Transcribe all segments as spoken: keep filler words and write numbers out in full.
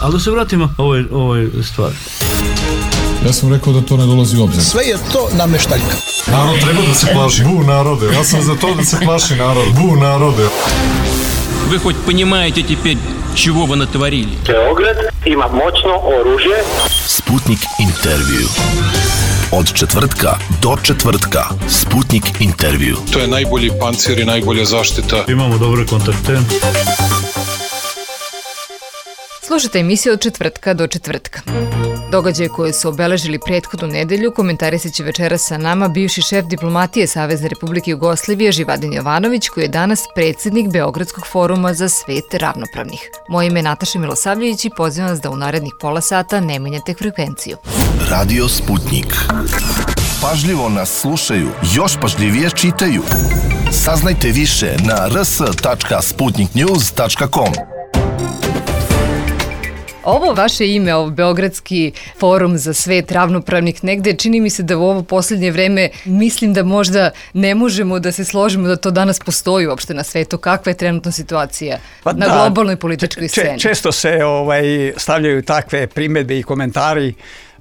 Ali da se vratimo ovoj, ovoj stvari. Ja sam rekao da to ne dolazi u obzir. Sve je to nameštaljka. Narod treba da se plaši. Bu narode. Ja sam za to da se plaši narod. Bu narode. Вы хоть понимаете теперь, чего вы натворили? Beograd ima moćno oružje. Sputnik intervju. Od četvrtka do četvrtka. Sputnik intervju. To je najbolji pancir i najbolja zaštita. Imamo dobre kontakte. Slušajte emisiju od četvrtka do četvrtka. Događaje koje su obeležili prethodnu nedelju komentarisat će večeras sa nama bivši šef diplomatije Savezne Republike Jugoslavije Živadin Jovanović, koji je danas predsjednik Beogradskog foruma za svet ravnopravnih. Moje ime je Nataša Milosavljević i pozivam vas da u narednih pola sata ne menjate frekvenciju. Radio Sputnik. Pažljivo nas slušaju, još pažljivije čitaju. Saznajte više na r s tačka sputnik news tačka com. Ovo vaše ime, ovo Beogradski forum za svet ravnopravnih, negde čini mi se da u ovo posljednje vreme mislim da možda ne možemo da se složimo da to danas postoji uopšte na svetu. Kakva je trenutna situacija pa na da, globalnoj političkoj sceni? Često se ovaj, stavljaju takve primjedbe i komentari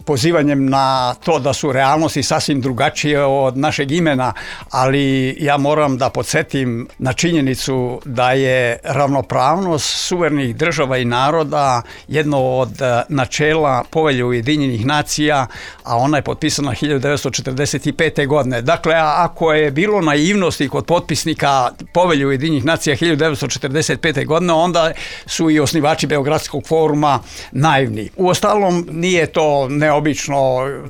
pozivanjem na to da su realnosti sasvim drugačije od našeg imena, ali ja moram da podsjetim na činjenicu da je ravnopravnost suverenih država i naroda jedno od načela Povelje Ujedinjenih nacija, a ona je potpisana hiljadu devetsto četrdeset pete. godine. Dakle, ako je bilo naivnosti kod potpisnika Povelje Ujedinjenih nacija hiljadu devetsto četrdeset pete. godine, onda su i osnivači Beogradskog foruma naivni. Uostalom, nije to neobično.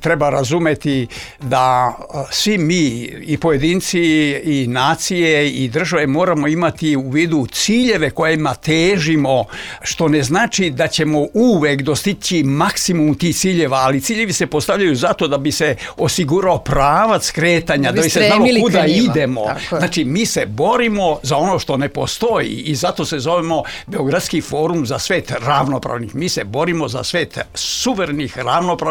Treba razumeti da svi mi i pojedinci i nacije i države moramo imati u vidu ciljeve kojima težimo, što ne znači da ćemo uvek dostići maksimum tih ciljeva, ali ciljevi se postavljaju zato da bi se osigurao pravac kretanja, da bi se znalo kuda idemo. Znači, mi se borimo za ono što ne postoji i zato se zovemo Beogradski forum za svet ravnopravnih. Mi se borimo za svet suverenih, ravnopravnih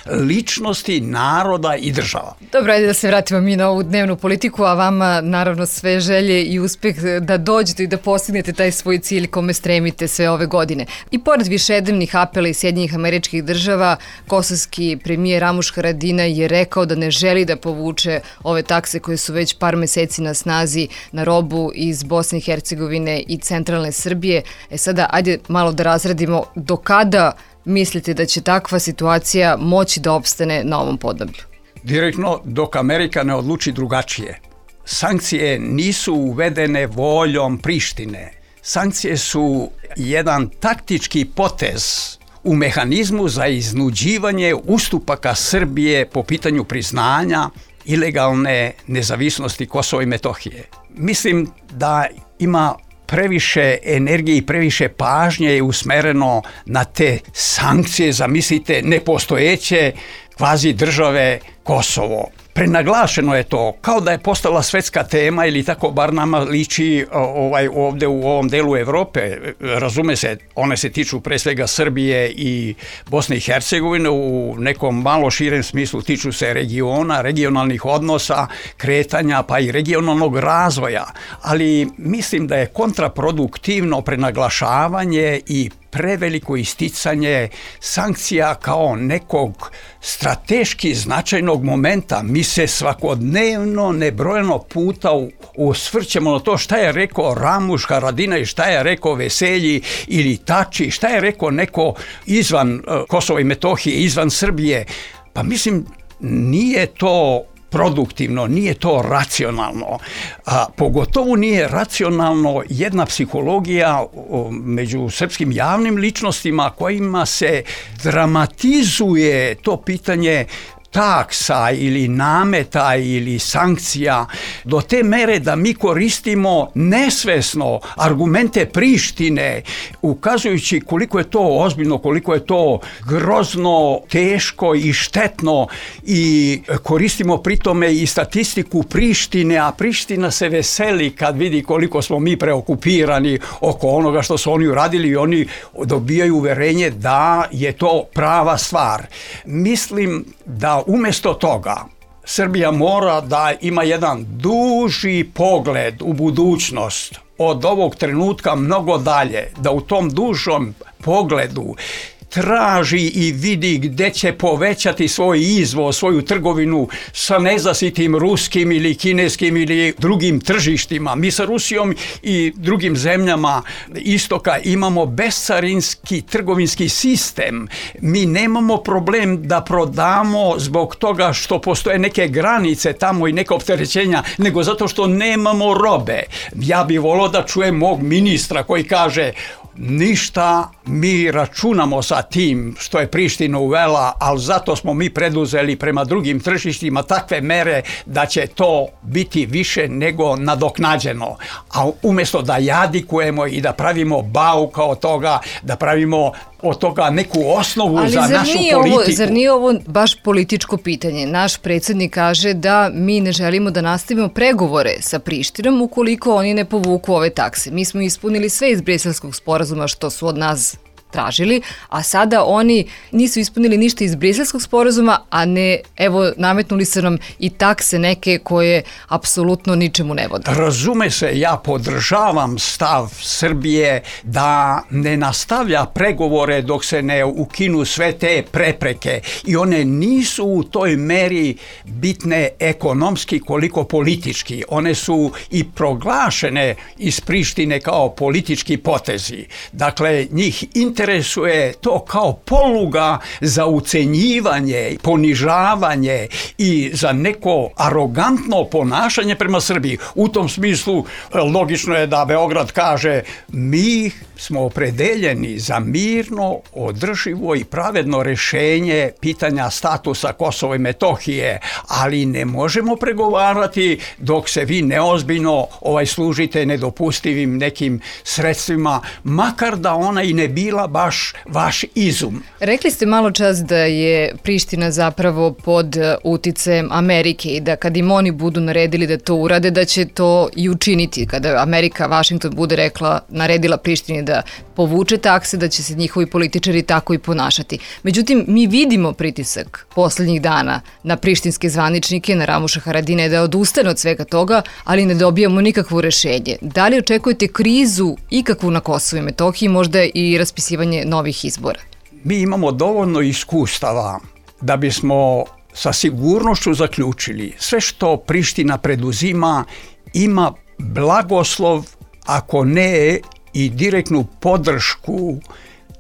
ličnosti, naroda i država. Dobro, ajde da se vratimo mi na ovu dnevnu politiku, a vama naravno sve želje i uspeh da dođete i da postignete taj svoj cilj kome stremite sve ove godine. I pored višednevnih apela iz Sjedinjenih Američkih Država, kosovski premijer Ramuš Haradinaj je rekao da ne želi da povuče ove takse koje su već par meseci na snazi na robu iz Bosne i Hercegovine i centralne Srbije. E sada, ajde malo da razradimo do kada mislite da će takva situacija moći da opstane na ovom podneblju? Direktno dok Amerika ne odluči drugačije. Sankcije nisu uvedene voljom Prištine. Sankcije su jedan taktički potez u mehanizmu za iznuđivanje ustupaka Srbije po pitanju priznanja ilegalne nezavisnosti Kosova i Metohije. Mislim da ima previše energije i previše pažnje je usmereno na te sankcije, zamislite, nepostojeće kvazi države Kosovo. Prenaglašeno je to, kao da je postala svetska tema ili tako bar nama liči ovaj, ovdje u ovom delu Evrope. Razume se, one se tiču pre svega Srbije i Bosne i Hercegovine, u nekom malo širem smislu tiču se regiona, regionalnih odnosa, kretanja pa i regionalnog razvoja. Ali mislim da je kontraproduktivno prenaglašavanje i preveliko isticanje sankcija kao nekog strateški značajnog momenta. Mi se svakodnevno nebrojeno puta osvrćemo na to šta je rekao Ramuš Haradinaj, šta je rekao Veselji ili Tači, šta je rekao neko izvan Kosova i Metohije, izvan Srbije. Pa mislim, nije to produktivno, nije to racionalno. A, pogotovo nije racionalno jedna psihologija o, među srpskim javnim ličnostima kojima se dramatizuje to pitanje taksa ili nameta ili sankcija do te mere da mi koristimo nesvesno argumente Prištine ukazujući koliko je to ozbiljno, koliko je to grozno, teško i štetno i koristimo pritome i statistiku Prištine, a Priština se veseli kad vidi koliko smo mi preokupirani oko onoga što su oni uradili i oni dobijaju uverenje da je to prava stvar. Mislim da umjesto toga Srbija mora da ima jedan duži pogled u budućnost od ovog trenutka mnogo dalje, da u tom dužom pogledu traži i vidi gdje će povećati svoj izvoz, svoju trgovinu sa nezasitim ruskim ili kineskim ili drugim tržištima. Mi sa Rusijom i drugim zemljama istoka imamo bescarinski trgovinski sistem. Mi nemamo problem da prodamo zbog toga što postoje neke granice tamo i neka opterećenja, nego zato što nemamo robe. Ja bih volio da čujem mog ministra koji kaže: ništa, mi računamo sa tim što je Priština uvela, ali zato smo mi preduzeli prema drugim tržištima takve mere da će to biti više nego nadoknađeno. A umjesto da jadikujemo i da pravimo bauka od toga, da pravimo od toga neku osnovu ali za našu politiku. Ovo, zar nije ovo baš političko pitanje? Naš predsjednik kaže da mi ne želimo da nastavimo pregovore sa Prištinom ukoliko oni ne povuku ove takse. Mi smo ispunili sve iz Briselskog sporazuma što su od nas tražili, a sada oni nisu ispunili ništa iz Briselskog sporazuma, a ne, evo, nametnuli se nam i takse neke koje apsolutno ničemu ne vode. Razume se, ja podržavam stav Srbije da ne nastavlja pregovore dok se ne ukinu sve te prepreke i one nisu u toj meri bitne ekonomski koliko politički. One su i proglašene iz Prištine kao politički potezi. Dakle, njih interesuje to kao poluga za ucenjivanje, ponižavanje i za neko arogantno ponašanje prema Srbiji. U tom smislu logično je da Beograd kaže: mi smo opredeljeni za mirno, održivo i pravedno rješenje pitanja statusa Kosova i Metohije, ali ne možemo pregovarati dok se vi neozbiljno ovaj služite nedopustivim nekim sredstvima, makar da ona i ne bila baš vaš izum. Rekli ste malo čas da je Priština zapravo pod uticajem Amerike i da kad im oni budu naredili da to urade, da će to i učiniti. Kada Amerika, Washington bude rekla, naredila Prištini da povuče takse, da će se njihovi političari tako i ponašati. Međutim, mi vidimo pritisak posljednjih dana na prištinske zvaničnike, na Ramuša Haradinaja da odustane od svega toga, ali ne dobijamo nikakvo rešenje. Da li očekujete krizu ikakvu na Kosovu i Metohiji, možda i raspisivanje novih izbora? Mi imamo dovoljno iskustava da bismo sa sigurnošću zaključili sve što Priština preduzima ima blagoslov, ako ne i direktnu podršku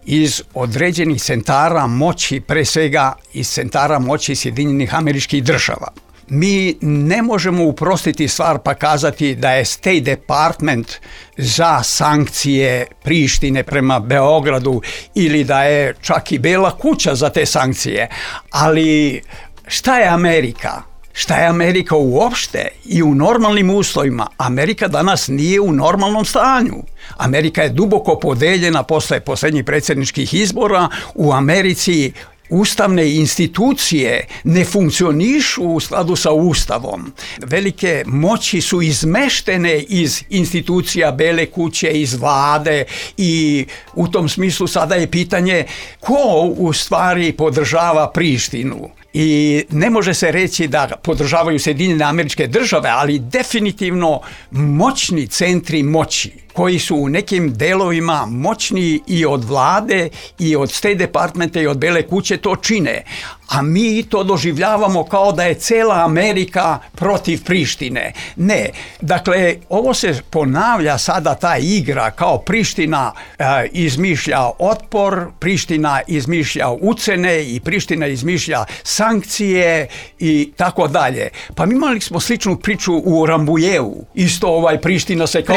iz određenih centara moći, pre svega iz centara moći Sjedinjenih Američkih Država. Mi ne možemo uprostiti stvar pa kazati da je State Department za sankcije Prištine prema Beogradu ili da je čak i Bela kuća za te sankcije. Ali šta je Amerika? Šta je Amerika uopšte i u normalnim uslovima? Amerika danas nije u normalnom stanju. Amerika je duboko podeljena posle posljednjih predsjedničkih izbora. U Americi ustavne institucije ne funkcionišu u skladu sa Ustavom. Velike moći su izmeštene iz institucija Bele kuće, iz vlade i u tom smislu sada je pitanje ko u stvari podržava Prištinu. I ne može se reći da podržavaju Sjedinjene Američke Države, ali definitivno moćni centri moći koji su u nekim delovima moćni i od vlade i od State Departmenta i od Bele kuće to čine. A mi to doživljavamo kao da je cela Amerika protiv Prištine. Ne. Dakle, ovo se ponavlja sada ta igra kao Priština e, izmišlja otpor, Priština izmišlja ucene i Priština izmišlja sankcije i tako dalje. Pa mi imali smo sličnu priču u Rambujevu. Isto ovaj Priština se kao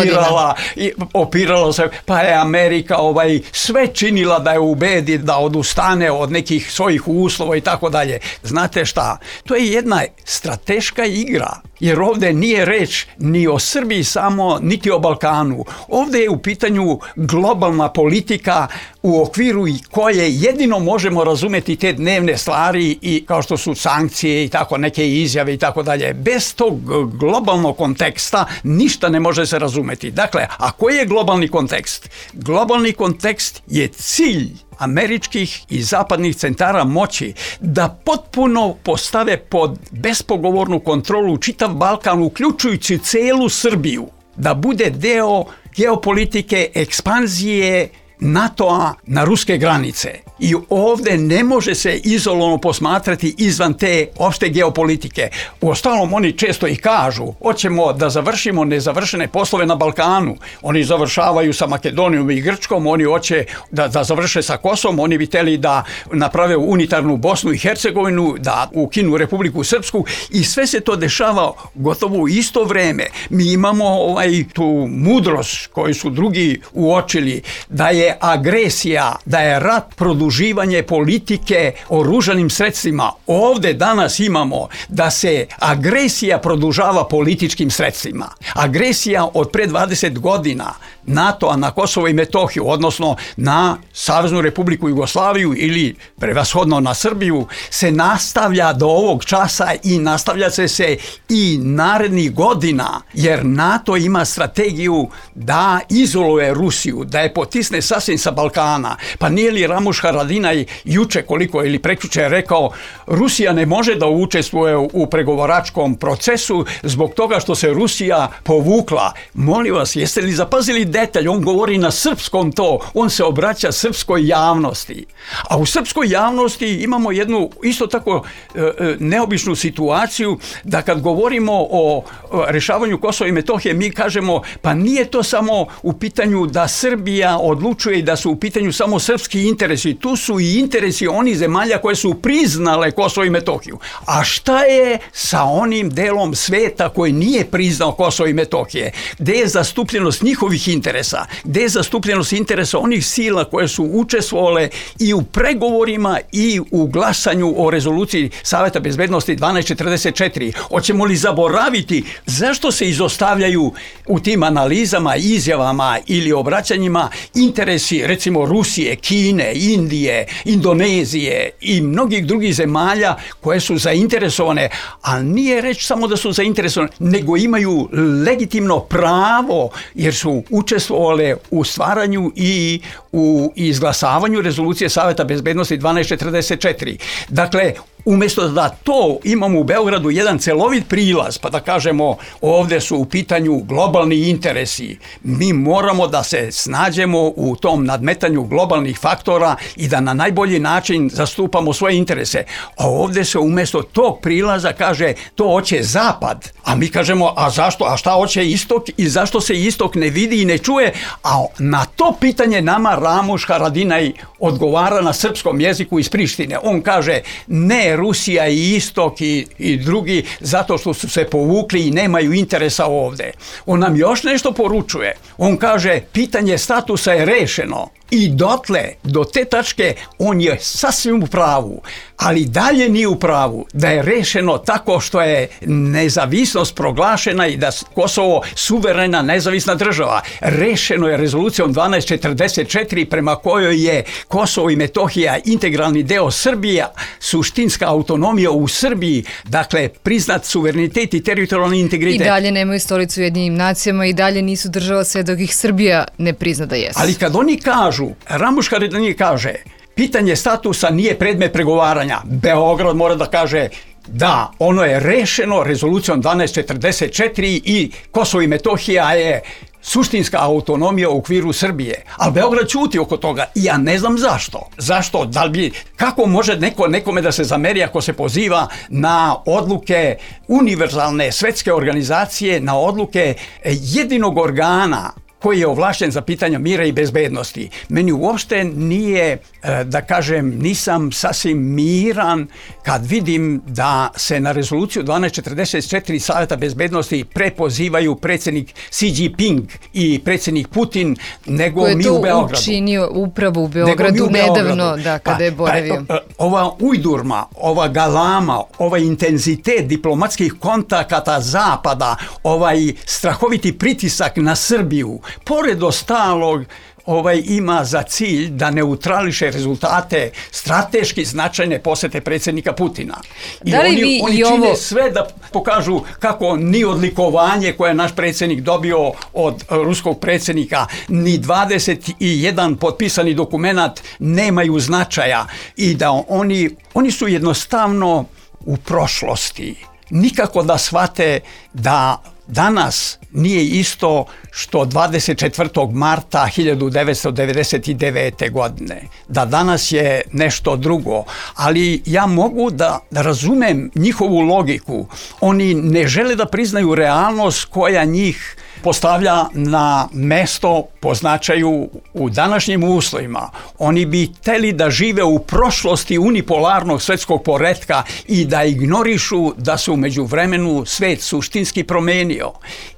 opirala, i, opirala se, pa je Amerika ovaj sve činila da je ubedi da odustane od nekih svojih uslova i tako dalje. Znate šta? To je jedna strateška igra. Jer ovdje nije reč ni o Srbiji samo, niti o Balkanu. Ovdje je u pitanju globalna politika u okviru koje jedino možemo razumjeti te dnevne stvari i kao što su sankcije i tako neke izjave i tako dalje. Bez tog globalnog konteksta ništa ne može se razumjeti. Dakle, a koji je globalni kontekst? Globalni kontekst je cilj američkih i zapadnih centara moći da potpuno postave pod bespogovornu kontrolu čitav Balkan, uključujući celu Srbiju, da bude deo geopolitike, ekspanzije NATO-a na ruske granice. I ovde ne može se izolovano posmatrati izvan te opšte geopolitike. Uostalom, oni često i kažu, hoćemo da završimo nezavršene poslove na Balkanu. Oni završavaju sa Makedonijom i Grčkom, oni hoće da, da završe sa Kosovom, oni bi hteli da naprave unitarnu Bosnu i Hercegovinu, da ukinu Republiku Srpsku i sve se to dešava gotovo u isto vreme. Mi imamo ovaj, tu mudrost koju su drugi uočili, da je agresija, da je rat produživanje politike oružanim sredstvima. Ovde danas imamo da se agresija produžava političkim sredstvima. Agresija od pre dvadeset godina NATO-a na Kosovo i Metohiju, odnosno na Saveznu Republiku Jugoslaviju ili prevashodno na Srbiju, se nastavlja do ovog časa i nastavlja se se i narednih godina, jer NATO ima strategiju da izoluje Rusiju, da je potisne sasvim sa Balkana. Pa nije li Ramuš Haradinaj juče koliko ili prekjuče rekao, Rusija ne može da učestvuje u pregovaračkom procesu zbog toga što se Rusija povukla. Molim vas, jeste li zapazili detalj? On govori na srpskom to, on se obraća srpskoj javnosti. A u srpskoj javnosti imamo jednu isto tako e, neobičnu situaciju da kad govorimo o rešavanju Kosova i Metohije, mi kažemo pa nije to samo u pitanju da Srbija odlučuje i da su u pitanju samo srpski interesi, tu su i interesi onih zemalja koje su priznale Kosovo i Metohiju. A šta je sa onim delom sveta koji nije priznao Kosovo i Metohije? Gde je zastupljenost njihovih interesa? Gde je zastupljenost interesa onih sila koje su učestvovale i u pregovorima i u glasanju o rezoluciji Saveta bezbednosti dvanaest četrdeset četiri? Hoćemo li zaboraviti zašto se izostavljaju u tim analizama, izjavama ili obraćanjima interesi recimo Rusije, Kine, Indije, Indonezije i mnogih drugih zemalja koje su zainteresovane, a nije reč samo da su zainteresovane, nego imaju legitimno pravo jer su učestvovale u stvaranju i u izglasavanju rezolucije Saveta bezbednosti dvanaest četrdeset četiri. Dakle, umjesto da to imamo u Beogradu jedan celovit prilaz, pa da kažemo ovdje su u pitanju globalni interesi, mi moramo da se snađemo u tom nadmetanju globalnih faktora i da na najbolji način zastupamo svoje interese. A ovdje se umjesto tog prilaza kaže to hoće Zapad, a mi kažemo a zašto, a šta hoće Istok i zašto se Istok ne vidi i ne čuje, a na to pitanje nama Ramuš Haradinaj odgovara na srpskom jeziku iz Prištine. On kaže ne, Rusija i Istok i, i drugi zato što su se povukli i nemaju interesa ovde. On nam još nešto poručuje. On kaže pitanje statusa je rešeno. I dotle, do te tačke, on je sasvim u pravu, ali dalje nije u pravu da je rešeno tako što je nezavisnost proglašena i da Kosovo suverena nezavisna država. Rešeno je rezolucijom dvanaest četrdeset četiri prema kojoj je Kosovo i Metohija integralni deo Srbije, suštinska autonomija u Srbiji, dakle priznat suverenitet i teritorijalni integritet. I dalje nemaju stolicu u Ujedinjenim nacijama i dalje nisu država sve dok ih Srbija ne prizna da jesu. Ali kad oni kažu, Ramuš Haradinaj kaže, pitanje statusa nije predmet pregovaranja. Beograd mora da kaže da, ono je rešeno rezolucijom dvanaest četrdeset četiri i Kosovo i Metohija je suštinska autonomija u okviru Srbije. Ali Beograd ćuti oko toga i ja ne znam zašto. Zašto? Da li bi, kako može neko nekome da se zameri ako se poziva na odluke univerzalne svetske organizacije, na odluke jedinog organa koji je ovlašten za pitanja mira i bezbednosti. Meni uopšte nije, da kažem, nisam sasvim miran kad vidim da se na rezoluciju dvanaest četrdeset četiri Saveta bezbednosti prepozivaju predsjednik Xi Jinping i predsjednik Putin, nego mi u Beogradu. Ko je to učinio upravo u Beogradu u nedavno, da, kada pa, je boravio. Pa, ova ujdurma, ova galama, ovaj intenzitet diplomatskih kontakata Zapada, ovaj strahoviti pritisak na Srbiju, pored ostalog, ovaj ima za cilj da neutrališe rezultate strateški značajne posete predsjednika Putina. I da li oni, vi oni i čine ovo... sve da pokažu kako ni odlikovanje koje je naš predsjednik dobio od ruskog predsjednika, ni dvadeset jedan potpisani dokumenat nemaju značaja i da oni, oni su jednostavno u prošlosti. Nikako da shvate da danas nije isto što dvadeset četvrtog marta hiljadu devetsto devedeset devete. godine. Da danas je nešto drugo. Ali ja mogu da, da razumem njihovu logiku. Oni ne žele da priznaju realnost koja njih postavlja na mesto po značaju u današnjim uslovima. Oni bi hteli da žive u prošlosti unipolarnog svetskog poretka i da ignorišu da se u međuvremenu svet suštinski promenio.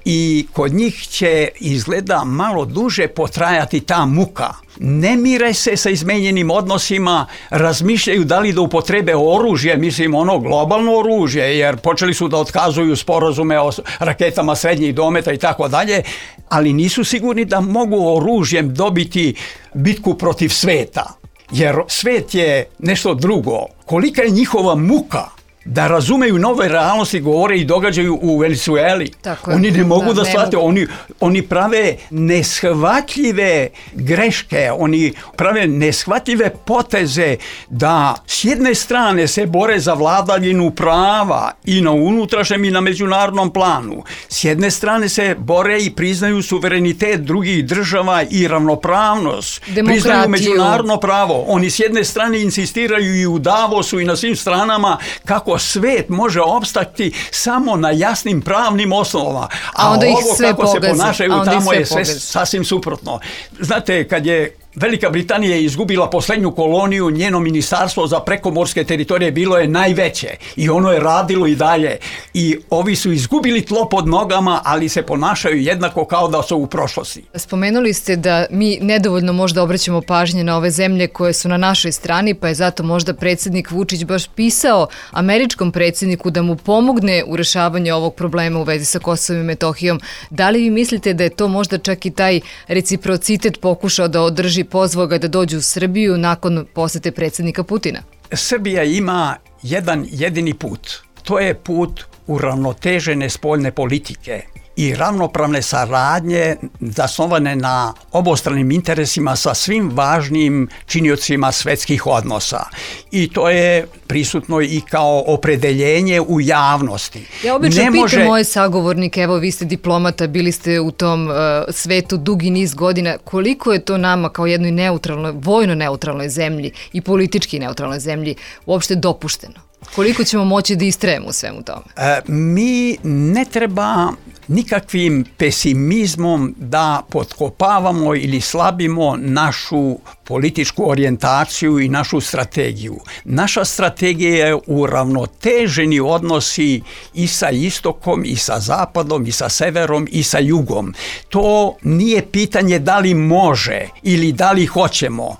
I kod njih će izgleda malo duže potrajati ta muka. Ne mire se sa izmenjenim odnosima, razmišljaju da li da upotrebe oružje, mislim ono globalno oružje, jer počeli su da otkazuju sporazume o raketama srednjih dometa i tako dalje, ali nisu sigurni da mogu oružjem dobiti bitku protiv sveta, jer svet je nešto drugo. Kolika je njihova muka da razumeju nove realnosti, govore i događaju u Venezueli. Oni ne mogu da, da shvate, oni, oni prave neshvatljive greške, oni prave neshvatljive poteze da s jedne strane se bore za vladavinu prava i na unutrašnjem i na međunarodnom planu. S jedne strane se bore i priznaju suverenitet drugih država i ravnopravnost. Demokratiju. Priznaju međunarodno pravo. Oni s jedne strane insistiraju i u Davosu i na svim stranama kako svet može opstati samo na jasnim pravnim osnovama. A, a ovo kako pogazi. Se ponašaju tamo je sve pogazi. Sasvim suprotno. Znate, kad je Velika Britanija je izgubila posljednju koloniju, njeno ministarstvo za prekomorske teritorije bilo je najveće i ono je radilo i dalje. I ovi su izgubili tlo pod nogama, ali se ponašaju jednako kao da su u prošlosti. Spomenuli ste da mi nedovoljno možda obraćamo pažnje na ove zemlje koje su na našoj strani, pa je zato možda predsjednik Vučić baš pisao američkom predsjedniku da mu pomogne u rešavanju ovog problema u vezi sa Kosovom i Metohijom. Da li vi mislite da je to možda čak i taj reciprocitet pokušao da održi, pozvao ga da dođu u Srbiju nakon posete predsjednika Putina? Srbija ima jedan jedini put. To je put uravnotežene spoljne politike i ravnopravne saradnje zasnovane na obostranim interesima sa svim važnim činiocima svetskih odnosa. I to je prisutno i kao opredeljenje u javnosti. Ja obično pitam može... moje sagovornike, evo vi ste diplomata, bili ste u tom uh, svetu dugi niz godina, koliko je to nama kao jednoj neutralnoj, vojno neutralnoj zemlji i politički neutralnoj zemlji uopšte dopušteno? Koliko ćemo moći da istrajemo u svemu tome? E, mi ne treba nikakvim pesimizmom da potkopavamo ili slabimo našu političku orijentaciju i našu strategiju. Naša strategija je uravnoteženi odnosi i sa istokom, i sa zapadom, i sa severom, i sa jugom. To nije pitanje da li može ili da li hoćemo.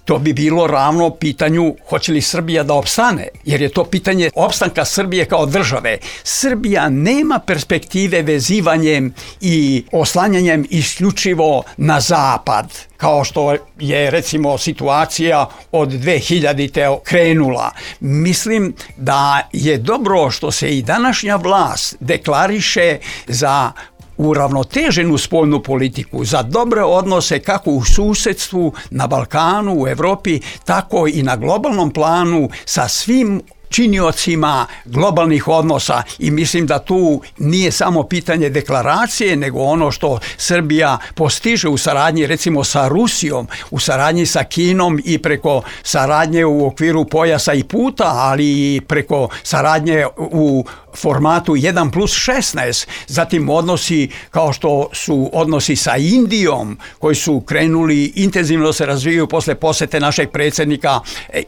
To bi bilo ravno pitanju hoće li Srbija da opstane, jer je to pitanje opstanka Srbije kao države. Srbija nema perspektive vezivanjem i oslanjanjem isključivo na zapad, kao što je recimo situacija od dve hiljadite krenula. Mislim da je dobro što se i današnja vlast deklariše za uravnoteženu spoljnu politiku, za dobre odnose kako u susedstvu, na Balkanu, u Evropi, tako i na globalnom planu sa svim činiocima globalnih odnosa i mislim da tu nije samo pitanje deklaracije, nego ono što Srbija postiže u saradnji recimo sa Rusijom, u saradnji sa Kinom i preko saradnje u okviru pojasa i puta, ali i preko saradnje u formatu jedan plus šesnaest, zatim odnosi kao što su odnosi sa Indijom koji su krenuli intenzivno se razvijaju posle posete našeg predsjednika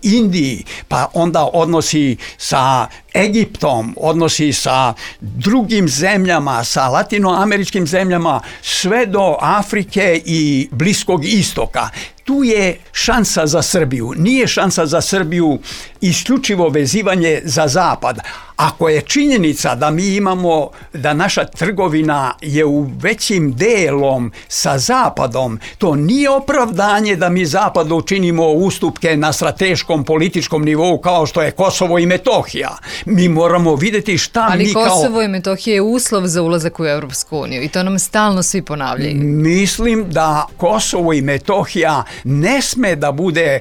Indiji, pa onda odnosi sa Egiptom, odnosi sa drugim zemljama, sa latinoameričkim zemljama, sve do Afrike i Bliskog istoka. Tu je šansa za Srbiju. Nije šansa za Srbiju isključivo vezivanje za zapad. Ako je činjenica da mi imamo, da naša trgovina je u većim delom sa zapadom, to nije opravdanje da mi zapadu učinimo ustupke na strateškom političkom nivou kao što je Kosovo i Metohija. Mi moramo vidjeti šta Ali mi kao... Ali Kosovo i Metohija je uslov za ulazak u Europsku uniju i to nam stalno svi ponavljaju. Mislim da Kosovo i Metohija ne sme da bude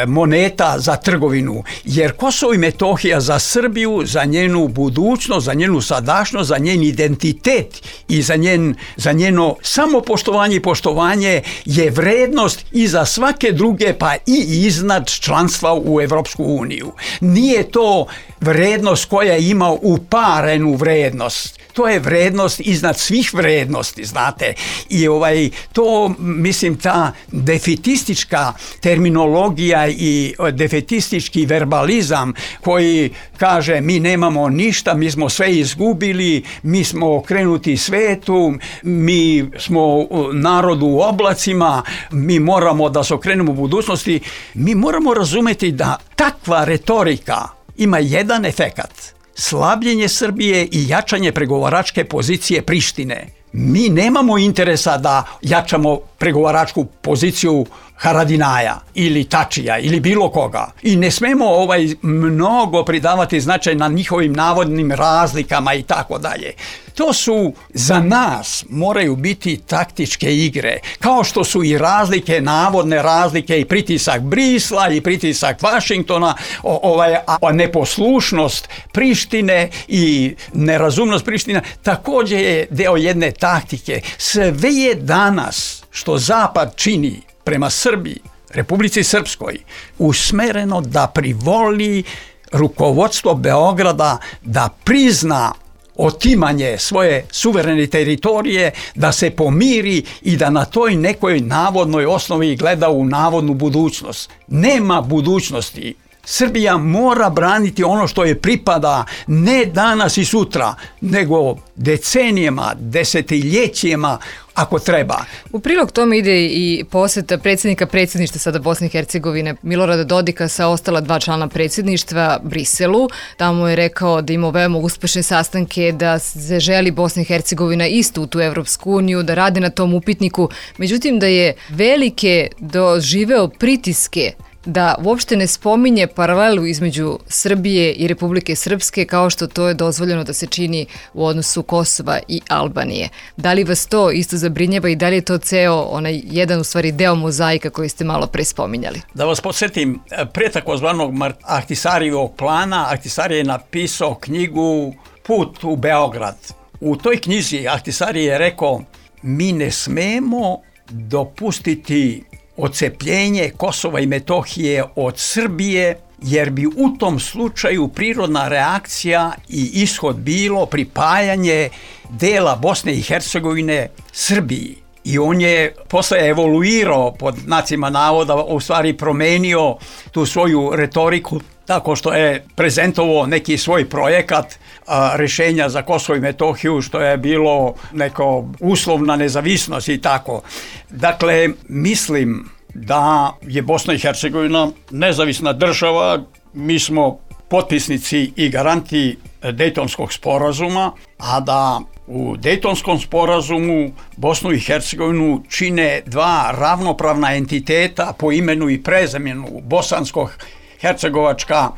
moneta za trgovinu, jer Kosovo i Metohija za Srbiju, za njenu budućnost, za njenu sadašnjost, za njen identitet i za, njen, za njeno samopoštovanje i poštovanje je vrednost i za svake druge, pa i iznad članstva u Evropsku uniju. Nije to vrednost koja ima uparenu vrednost. To je vrednost iznad svih vrednosti, znate. I ovaj, to, mislim, ta defetistička terminologija i defetistički verbalizam koji kaže mi nemamo ništa, mi smo sve izgubili, mi smo okrenuti svetu, mi smo narod u oblacima, mi moramo da se okrenemo u budućnosti. Mi moramo razumeti da takva retorika ima jedan efekat. Slabljenje Srbije i jačanje pregovaračke pozicije Prištine. Mi nemamo interesa da jačamo pregovaračku poziciju Haradinaja ili Tačija ili bilo koga. I ne smemo ovaj mnogo pridavati značaj na njihovim navodnim razlikama i tako dalje. To su za nas moraju biti taktičke igre, kao što su i razlike, navodne razlike i pritisak Brisla i pritisak Vašingtona, ovaj, a neposlušnost Prištine i nerazumnost Prištine također je deo jedne taktike. Sve je danas što Zapad čini prema Srbiji, Republici Srpskoj, usmereno da privoli rukovodstvo Beograda da prizna otimanje svoje suverene teritorije, da se pomiri i da na toj nekoj navodnoj osnovi gleda u navodnu budućnost. Nema budućnosti. Srbija mora braniti ono što je pripada ne danas i sutra, nego decenijama, desetljećima ako treba. U prilog tome ide i poseta predsjednika predsjedništva sada Bosne i Hercegovine Milorada Dodika sa ostala dva člana predsjedništva Briselu. Tamo je rekao da ima veoma uspešne sastanke, da se želi Bosna i Hercegovina isto u tu Evropsku uniju, da rade na tom upitniku. Međutim, da je velike doživeo pritiske da uopšte ne spominje paralelu između Srbije i Republike Srpske kao što to je dozvoljeno da se čini u odnosu Kosova i Albanije. Da li vas to isto zabrinjava i da li je to ceo onaj jedan u stvari deo mozaika koji ste malo pre spominjali? Da vas podsjetim, pre takozvanog Ahtisarijevog plana, Ahtisari je napisao knjigu Put u Beograd. U toj knjizi Ahtisari je rekao mi ne smemo dopustiti odcepljenje Kosova i Metohije od Srbije, jer bi u tom slučaju prirodna reakcija i ishod bilo pripajanje dela Bosne i Hercegovine Srbiji. I on je posle evoluirao, pod znacima navoda, u stvari promenio tu svoju retoriku tako što je prezentovao neki svoj projekat a, rešenja za Kosovo i Metohiju, što je bilo neko uslovna nezavisnost i tako. Dakle, mislim da je Bosna i Hercegovina nezavisna država, mi smo potpisnici i garanti Dejtonskog sporazuma, a da u Dejtonskom sporazumu Bosnu i Hercegovinu čine dva ravnopravna entiteta po imenu i prezimenu, Bosansko-Hercegovačka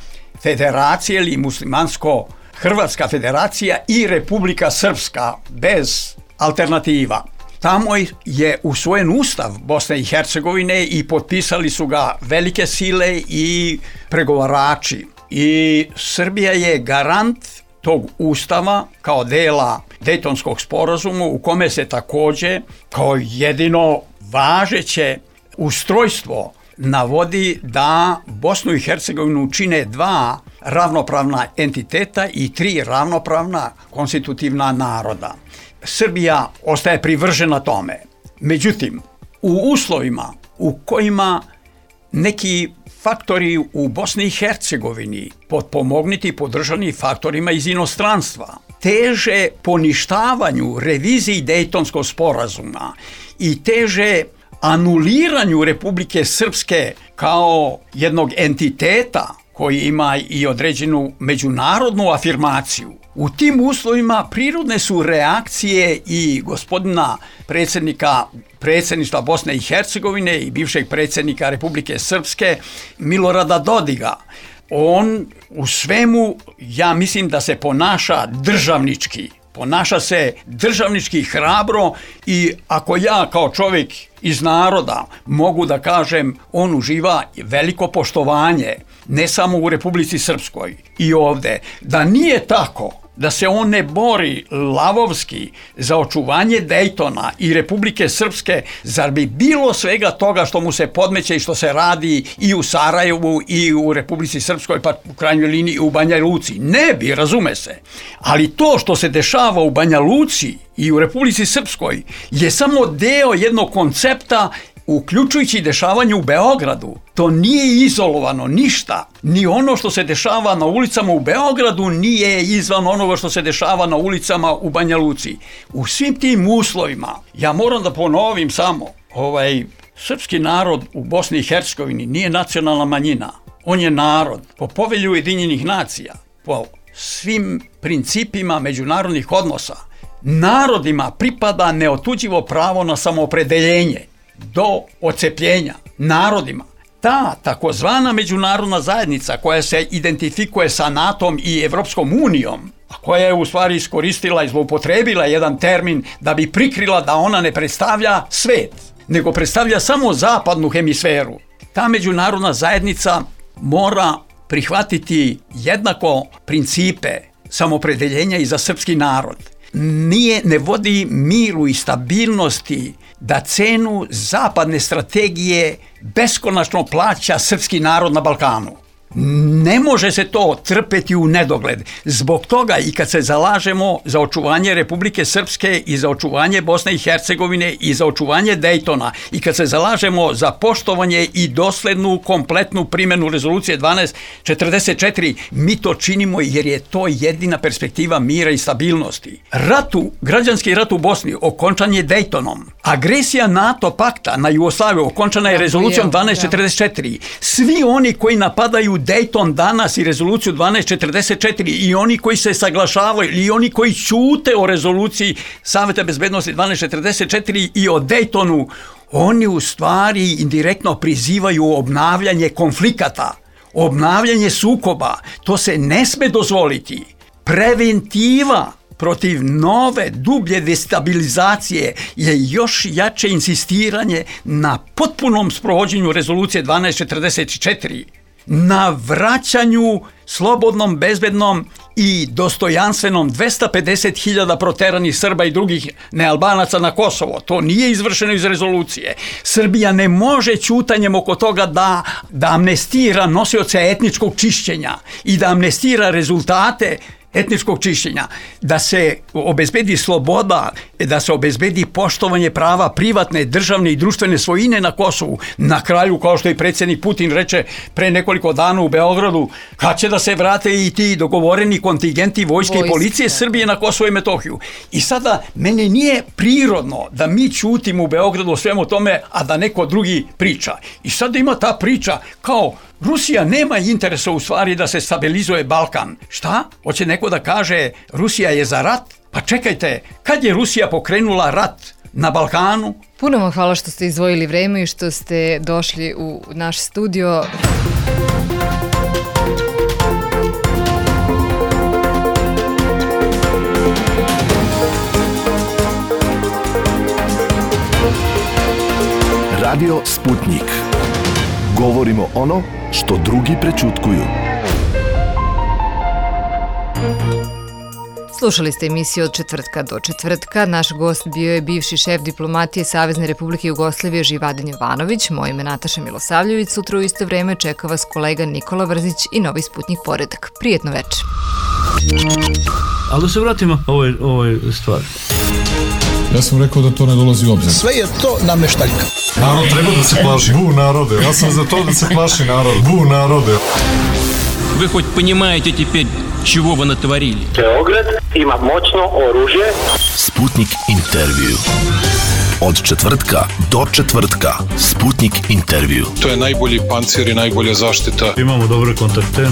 federacija ili Muslimansko-Hrvatska federacija i Republika Srpska bez alternativa. Tamo je usvojen ustav Bosne i Hercegovine i potpisali su ga velike sile i pregovarači. I Srbija je garant tog ustava kao dela Dejtonskog sporazuma u kome se također kao jedino važeće ustrojstvo navodi da Bosnu i Hercegovinu čine dva ravnopravna entiteta i tri ravnopravna konstitutivna naroda. Srbija ostaje privržena tome. Međutim, u uslovima u kojima neki faktori u Bosni i Hercegovini, potpomogniti podržani faktorima iz inostranstva, teže poništavanju reviziji Dejtonskog sporazuma i teže anuliranju Republike Srpske kao jednog entiteta koji ima i određenu međunarodnu afirmaciju. U tim uslovima prirodne su reakcije i gospodina predsjednika predsjedništva Bosne i Hercegovine i bivšeg predsjednika Republike Srpske Milorada Dodiga. On u svemu, ja mislim da se ponaša državnički. Ponaša se državnički hrabro i ako ja kao čovjek iz naroda, mogu da kažem, on uživa veliko poštovanje, ne samo u Republici Srpskoj i ovde. Da nije tako, da se on ne bori lavovski za očuvanje Dejtona i Republike Srpske, zar bi bilo svega toga što mu se podmeće i što se radi i u Sarajevu i u Republici Srpskoj, pa u krajnjoj liniji i u Banja Luci? Ne bi, razume se. Ali to što se dešava u Banja Luci i u Republici Srpskoj je samo deo jednog koncepta, uključujući dešavanje u Beogradu. To nije izolovano ništa. Ni ono što se dešava na ulicama u Beogradu nije izvan onoga što se dešava na ulicama u Banja Luci. U svim tim uslovima, ja moram da ponovim samo, ovaj srpski narod u Bosni i Hercegovini nije nacionalna manjina. On je narod. Po povelju Ujedinjenih nacija, po svim principima međunarodnih odnosa, narodima pripada neotuđivo pravo na samoopredeljenje do ocepljenja narodima. Ta takozvana međunarodna zajednica koja se identifikuje sa NATO-om i Evropskom unijom, a koja je u stvari iskoristila i zloupotrebila jedan termin da bi prikrila da ona ne predstavlja svet, nego predstavlja samo zapadnu hemisferu. Ta međunarodna zajednica mora prihvatiti jednako principe samoopredeljenja i za srpski narod. Nije, ne vodi miru i stabilnosti da cenu zapadne strategije beskonačno plaća srpski narod na Balkanu. Ne može se to trpeti u nedogled. Zbog toga i kad se zalažemo za očuvanje Republike Srpske i za očuvanje Bosne i Hercegovine i za očuvanje Dejtona i kad se zalažemo za poštovanje i doslednu kompletnu primjenu rezolucije dvanaest četrdeset četiri, mi to činimo jer je to jedina perspektiva mira i stabilnosti. Ratu, građanski rat u Bosni okončan je Dejtonom. Agresija NATO pakta na Jugoslaviju okončana je rezolucijom dvanaest četrdeset četiri. Svi oni koji napadaju Dejton danas i rezoluciju dvanaest četrdeset četiri i oni koji se saglašavaju i oni koji ćute o rezoluciji Saveta bezbednosti dvanaest četrdeset četiri i o Dejtonu, oni u stvari indirektno prizivaju obnavljanje konflikata, obnavljanje sukoba. To se ne sme dozvoliti. Preventiva protiv nove, dublje destabilizacije je još jače insistiranje na potpunom sprovođenju rezolucije dvanaest četrdeset četiri. Na vraćanju slobodnom, bezbednom i dostojanstvenom dvesta pedeset hiljada proteranih Srba i drugih nealbanaca na Kosovo. To nije izvršeno iz rezolucije. Srbija ne može ćutanjem oko toga da, da amnestira nosioce etničkog čišćenja i da amnestira rezultate etničkog čišćenja, da se obezbedi sloboda, da se obezbedi poštovanje prava privatne, državne i društvene svojine na Kosovu. Na kraju, kao što i predsjednik Putin reče pre nekoliko dana u Beogradu, kad će da se vrate i ti dogovoreni kontingenti vojske Vojske. i policije Srbije na Kosovo i Metohiju. I sada, meni nije prirodno da mi ćutimo u Beogradu o svemu tome, a da neko drugi priča. I sada ima ta priča kao Rusija nema interesa u stvari da se stabilizuje Balkan. Šta? Hoće neko da kaže Rusija je za rat? Pa čekajte, kad je Rusija pokrenula rat na Balkanu? Puno vam hvala što ste izdvojili vreme i što ste došli u naš studio. Radio Sputnik. Govorimo ono što drugi prećutkuju. Slušali ste emisiju od četvrtka do četvrtka. Naš gost bio je bivši šef diplomatije Savezne Republike Jugoslavije Živadin Jovanović. Moje ime Nataša Milosavljević. Sutra u isto vreme čeka vas kolega Nikola Vrzić i Novi Sputnik Poredak. Prijetno večer. Ali da se vratimo ovoj, ovoj stvari. Ja sam rekao da to ne dolazi u obzir. Sve je to nameštaljka. Narod treba da se plaši. Bu narode. Ja sam za to da se plaši narod. Bu narode. Вы хоть понимаете теперь, чего вы натворили? Beograd ima moćno oružje. Sputnik intervju. Od četvrtka do četvrtka. Sputnik intervju. To je najbolji pancir i najbolja zaštita. Imamo dobre kontakte.